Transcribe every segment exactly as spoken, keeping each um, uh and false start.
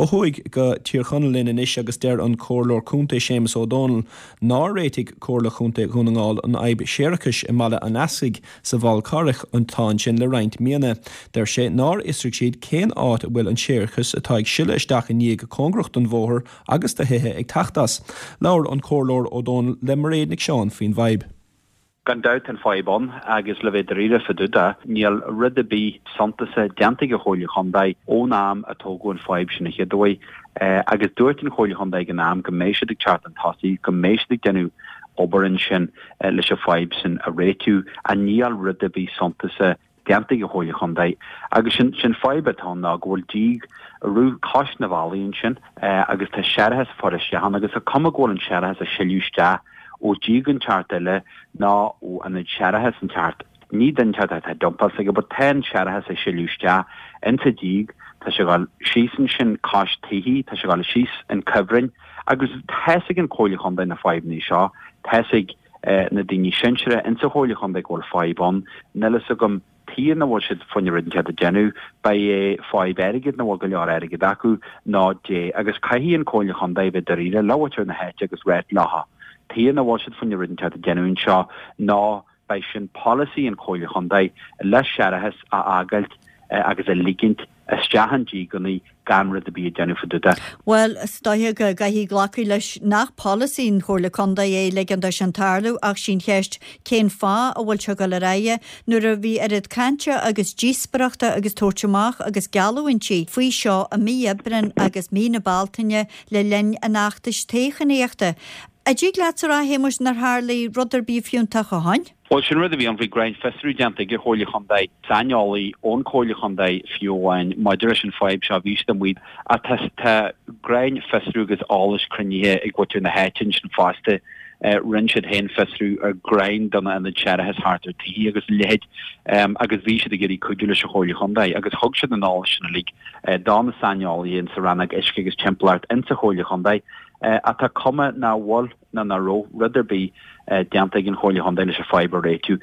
Ó thuaidh go Tír Chonaill linn anois agus deir an Comhairleoir Contae Séamus Ó Dónaill nár réitigh Comhairle Chontae Dhún na nGall an fhadhb séarachais i mBaile an Eascaigh sa bhFál Carrach atá ansin le roinnt míonna. Deir sé nár fhiosraigh siad cén áit a bhfuil an séarachas atá ag sileadh isteach i ndíog cóngarach don bhóthar agus do thithe ag teacht as. Labhair an Comhairleoir Ó Dónaill le Mairéad Nic Seáin faoin bhfadhb. Gan dabht an fadhb ann agus le bheith dáiríre fá dtaobh de, níl rud ar bith suntasach déanta ag an Chomhairle Chontae ón am a tógadh an fadhb sin an chéad uair. Agus dúirt an Chomhairle Chontae ag an am go mbeidh siad ag teacht chun tosaigh, go mbeidh siad ag déanamh obair ansin leis an fadhb sin a réitiú, ach níl rud ar bith suntasach déanta ag an Chomhairle Chontae. Agus sin sin fadhb atá ann ná go bhfuil díog rith cois na bhealaí ansin agus tá séarachas ag fáil isteach ann agus tá cuma go bhfuil an séarachas ag sileadh isteach ó dhíog inteacht eile ná ó ionad séarachais inteacht. Ní duine inteacht atá dumpáil s'aige but tá an séarachas ag sileadh isteach insa díog, tá sé ag dul síos ansin cois tithe, tá sé ag dul síos an cuibhreann agus tá's ag an Chomhairle Chontae na fadhbanna seo, tá's ag na daoine sinseartha insa Chomhairle Chontae go bhfuil fadhb ann, níl fhios agam tuige nach bhfuil siad fá choinne rud inteacht a dhéanamh, beidh é fadhb airgid nach bhfuil go leor airgid acu nó dé agus caithfidh an Chomhairle Chontae bheith dáiríre le muintir na háite agus ráit leotha tuige nach bhfuil siad fá choinne rud inteacht a dhéanamh anseo nó beidh sin polasaí an Chomhairle Chontae le séarachas a fhágáilt agus a ligint isteach an díogannaí gan rud ar bith a dhéanamh fá dtaobh de. Bhuel, is dóiche go gcaithfidh glacadh leis nach polasaí an Chomhairle Contae é ligean dó sin tarlú ach sí'n cheist cén fáth a bhfuil sé ag dul ar aghaidh nuair a bhí oiread cainte agus díospoireachta agus tabhairt amach agus geallúintí faoi seo i mí Aibreáin agus mí na Bealtaine le linn an fheachtais toghchánaíochta. An dtig leatsa a rá, a Shéamuis, nár tharlaigh rud ar bith fiúntach ó shoin? Bhuel, sin rud a bhí ann, bhí grinnfhiosrú déanta ag an Chomhairle Chontae, saineolaí ón Chomhairle Chontae fiú amháin, maidir leis an fadhb seo, bhí siad amuigh ach tá tá grinnfhiosrú agus eolas cruinnithe ag mhuintir na háite ansin fosta. Rinne siad féin fiosrú ar greann de na ionaid séarachais thart ar tithe agus a leithéid agus bhí siad ag iarraidh cuidiú leis an Chomhairle Chontae agus thug siad an eolas sin uilig do na saineolaithe insa rannóg uisce agus timpeallacht insa Chomhairle Chontae. Ach tá cuma nach bhfuil ná nach raibh rud ar bith déanta ag an Chomhairle Chontae leis an fadhb a réitiú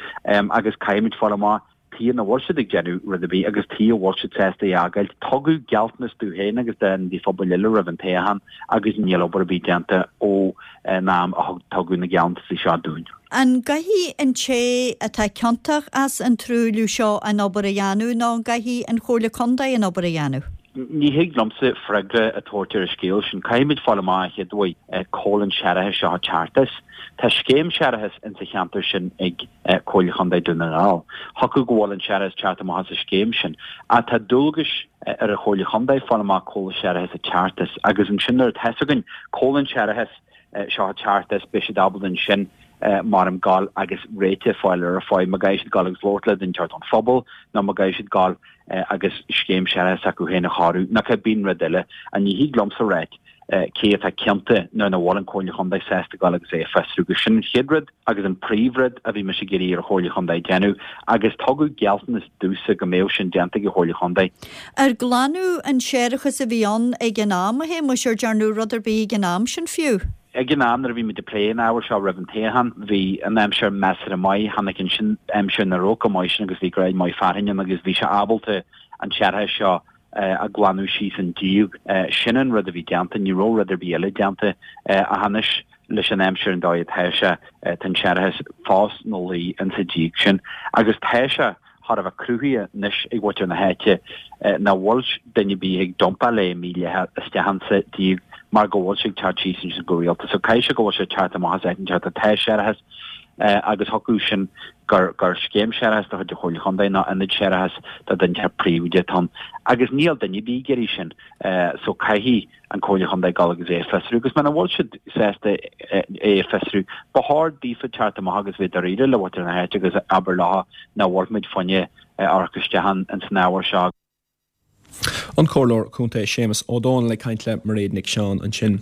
agus caithfimid fáil amach tuige nach bhfuil siad ag déanamh rud ar bith agus tuige a bhfuil siad sásta é a fhágáilt. Tugadh gealltanas dúinn féin agus d'ionadaithe phobail eile roimh an toghchán agus níl obair ar bith déanta ó an am a tugadh na gealltanais seo dúinn. An gcaithfidh an té atá ciontach as an truailliú seo an obair a dhéanamh nó an gcaithfidh an Chomhairle Contae an obair a dhéanamh? Ní thig liomsa freagra a thabhairt ar an scéal sin. Caithfimid fáil amach an chéad uair cá bhfuil an séarachas seo ag teacht as. Tá scéim séarachais insa cheantar sin ag Comhairle Chontae Dún na nGall. Thiocfadh go bhfuil an séarachas ag teacht amach as an scéim sin. Ach tá dualgais ar an Chomhairle Chontae fáil amach cá bhfuil an séarachas ag teacht as agus ansin nuair atá fhios againn cá bhfuil an séarachas seo ag teacht as beidh siad ábalta ansin maram gabháil agus réiteach a fháil ar an fadhb. Má gcaithfidh siad gabháil agus labhairt le duine inteacht ón phobal nó má gcaithfidh siad gabháil agus scéim séarachais s'acu féin a chóiriú nó cibé rud eile. Ach ní thig liomsa ráit cé atá ciontach nuair nach bhfuil an Chomhairle Chontae sásta gabháil agus é a fiosrú. Agus sin an chéad rud agus an príomhrud a bhí mise ag iarraidh ar an Chomhairle Chontae déanamh agus tugadh gealltanas domhsa go mbeadh sin déanta ag an Chomhairle Chontae. Ar glanadh an séarachas a bhí ann ag an am, a Shéamuis, ar dearnadh rud ar bith ag an am sin fiú? Ag an am nuair a bhí muid ag plé an ábhair seo roimh an toghchán, bhí an aimsir measartha maith. Tháinig ansin aimsir nach raibh chomh maith sin agus bhí greim maith fearthainne ann agus bhí sé ábalta an séarachas seo a ghlanadh síos an díog. Sin an rud a bhí déanta, ní raibh rud ar bith eile déanta. Ach anois leis an aimsir an dóigh atá sé, tá an séarachas fós ina luí insa díog sin agus tá sé thar a bheith cruthaithe anois ag mhuintir na háite nach bhfuil duine ar bith ag dumpáil é mídhleathach isteach insa díog mar go bhfuil sé ag teacht síos ansin go rialta. So caithfidh sé go bhfuil sé ag teacht amach as áit inteacht atá séarachas agus thiocfadh sin gur gur scéim séarachais de chuid an Chomhairle Chontae nó ionad séarachais de dhuine inteacht príobháideach atá ann. Agus níl duine ar bith ag iarraidh sin. So caithfidh an Comhairle Chontae dul agus é a fiosrú agus muna bhfuil siad sásta é a fiosrú, ba chóir daofa teacht amach agus bheith dáiríre le muintir na háite agus abair leo nach bhfuil muid fá choinne amharc isteach ins an ábhar seo. An Comhairleoir Contae Séamus Ó Dónaill ag caint le Mairéad Nic Seáin ansin.